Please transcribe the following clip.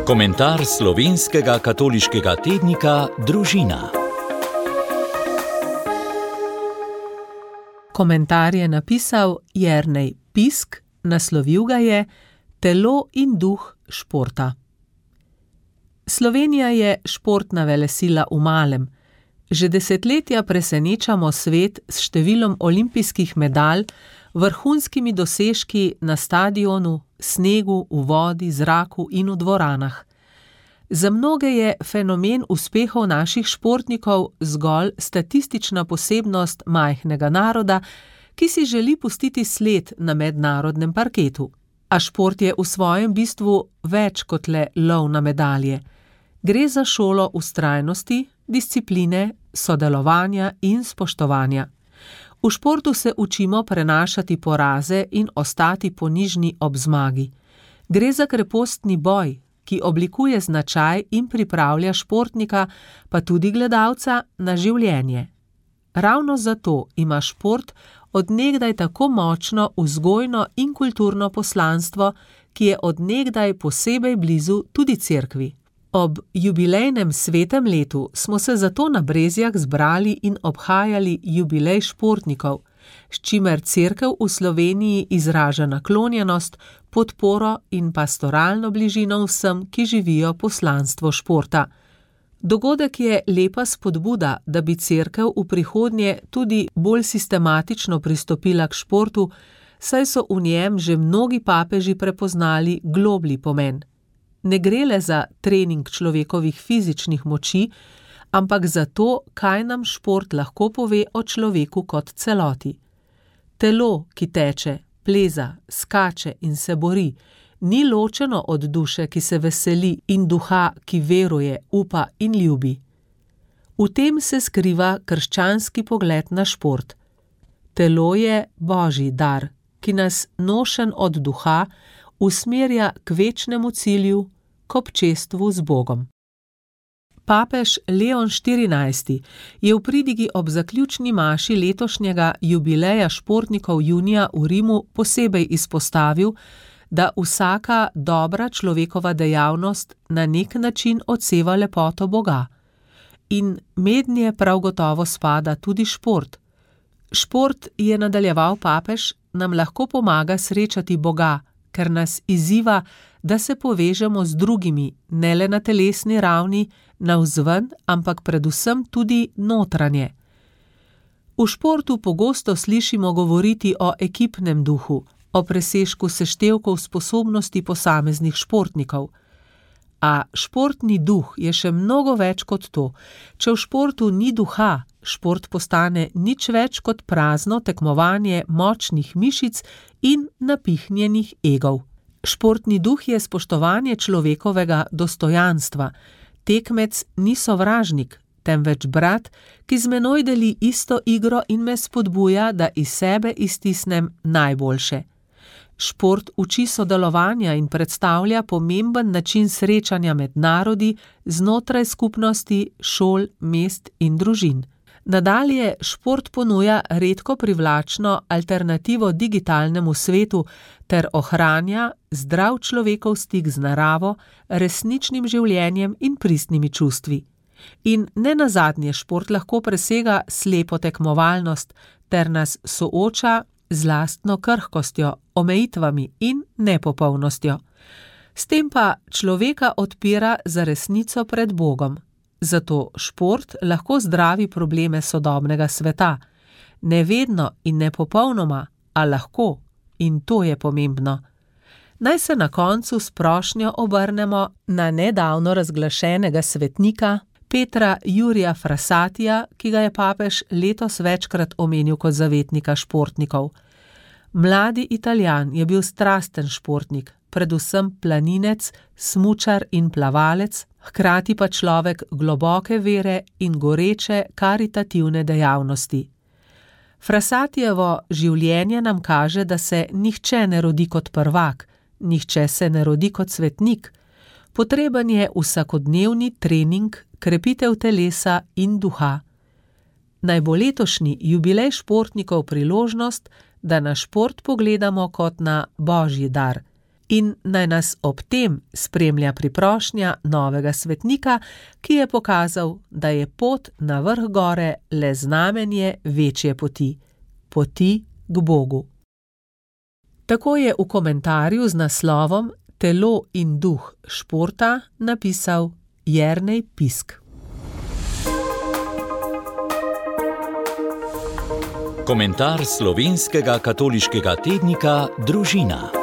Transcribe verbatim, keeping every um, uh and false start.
Komentar slovenskega katoliškega tednika Družina. Komentar je napisal Jernej Pisk, naslovil ga je Telo in duh športa. Slovenija je športna velesila v malem. Že desetletja presenečamo svet s številom olimpijskih medalj, vrhunskimi dosežki na stadionu, snegu, v vodi, zraku in v dvoranah. Za mnoge je fenomen uspehov naših športnikov zgolj statistična posebnost majhnega naroda, ki si želi pustiti sled na mednarodnem parketu. A šport je v svojem bistvu več kot le lov na medalje. Gre za šolo vztrajnosti, discipline, sodelovanja in spoštovanja. V športu se učimo prenašati poraze in ostati ponižni ob zmagi. Gre za krepostni boj, ki oblikuje značaj in pripravlja športnika, pa tudi gledalca, na življenje. Ravno zato ima šport od nekdaj tako močno vzgojno in kulturno poslanstvo, ki je od nekdaj posebej blizu tudi cerkvi. Ob jubilejnem svetem letu smo se zato na Brezjah zbrali in obhajali jubilej športnikov, s čimer cerkev v Sloveniji izraža naklonjenost, podporo in pastoralno bližino vsem, ki živijo poslanstvo športa. Dogodek je lepa spodbuda, da bi cerkev v prihodnje tudi bolj sistematično pristopila k športu, saj so v njem že mnogi papeži prepoznali globlji pomen. Ne gre le za trening človekovih fizičnih moči, ampak za to, kaj nam šport lahko pove o človeku kot celoti. Telo, ki teče, pleza, skače in se bori, ni ločeno od duše, ki se veseli, in duha, ki veruje, upa in ljubi. V tem se skriva krščanski pogled na šport. Telo je božji dar, ki nas, nošen od duha, usmerja k večnemu cilju, k občestvu z Bogom. Papež Leon štirinajsti je v pridigi ob zaključni maši letošnjega jubileja športnikov junija v Rimu posebej izpostavil, da vsaka dobra človekova dejavnost na nek način odseva lepoto Boga. In mednje prav gotovo spada tudi šport. Šport, je nadaljeval papež, nam lahko pomaga srečati Boga, ker nas izziva, da se povežemo z drugimi, ne le na telesni ravni, navzven, ampak predvsem tudi notranje. V športu pogosto slišimo govoriti o ekipnem duhu, o presežku seštevkov sposobnosti posameznih športnikov. A športni duh je še mnogo več kot to. Če v športu ni duha, šport postane nič več kot prazno tekmovanje močnih mišic in napihnjenih egov. Športni duh je spoštovanje človekovega dostojanstva. Tekmec ni sovražnik, temveč brat, ki z menoj deli isto igro in me spodbuja, da iz sebe iztisnem najboljše. Šport uči sodelovanja in predstavlja pomemben način srečanja med narodi, znotraj skupnosti, šol, mest in družin. Nadalje šport ponuja redko privlačno alternativo digitalnemu svetu ter ohranja zdrav človekov stik z naravo, resničnim življenjem in pristnimi čustvi. In nenazadnje šport lahko presega slepo tekmovalnost ter nas sooča z lastno krhkostjo, omejitvami in nepopolnostjo. S tem pa človeka odpira za resnico pred Bogom. Zato šport lahko zdravi probleme sodobnega sveta. Ne vedno in ne popolnoma, a lahko, in to je pomembno. Naj se na koncu s prošnjo obrnemo na nedavno razglašenega svetnika Petra Jurija Frassatija, ki ga je papež letos večkrat omenil kot zavetnika športnikov. Mladi Italijan je bil strasten športnik, predvsem planinec, smučar in plavalec, hkrati pa človek globoke vere in goreče karitativne dejavnosti. Frassatijevo življenje nam kaže, da se nihče ne rodi kot prvak, nihče se ne rodi kot svetnik. Potreben je vsakodnevni trening, krepitev telesa in duha. Naj bo letošnji jubilej športnikov priložnost, da na šport pogledamo kot na božji dar in naj nas ob tem spremlja priprošnja novega svetnika, ki je pokazal, da je pot na vrh gore le znamenje večje poti, poti k Bogu. Tako je v komentarju z naslovom Telo in duh športa napisal Jernej Pisk. Komentar slovenskega katoliškega tednika Družina.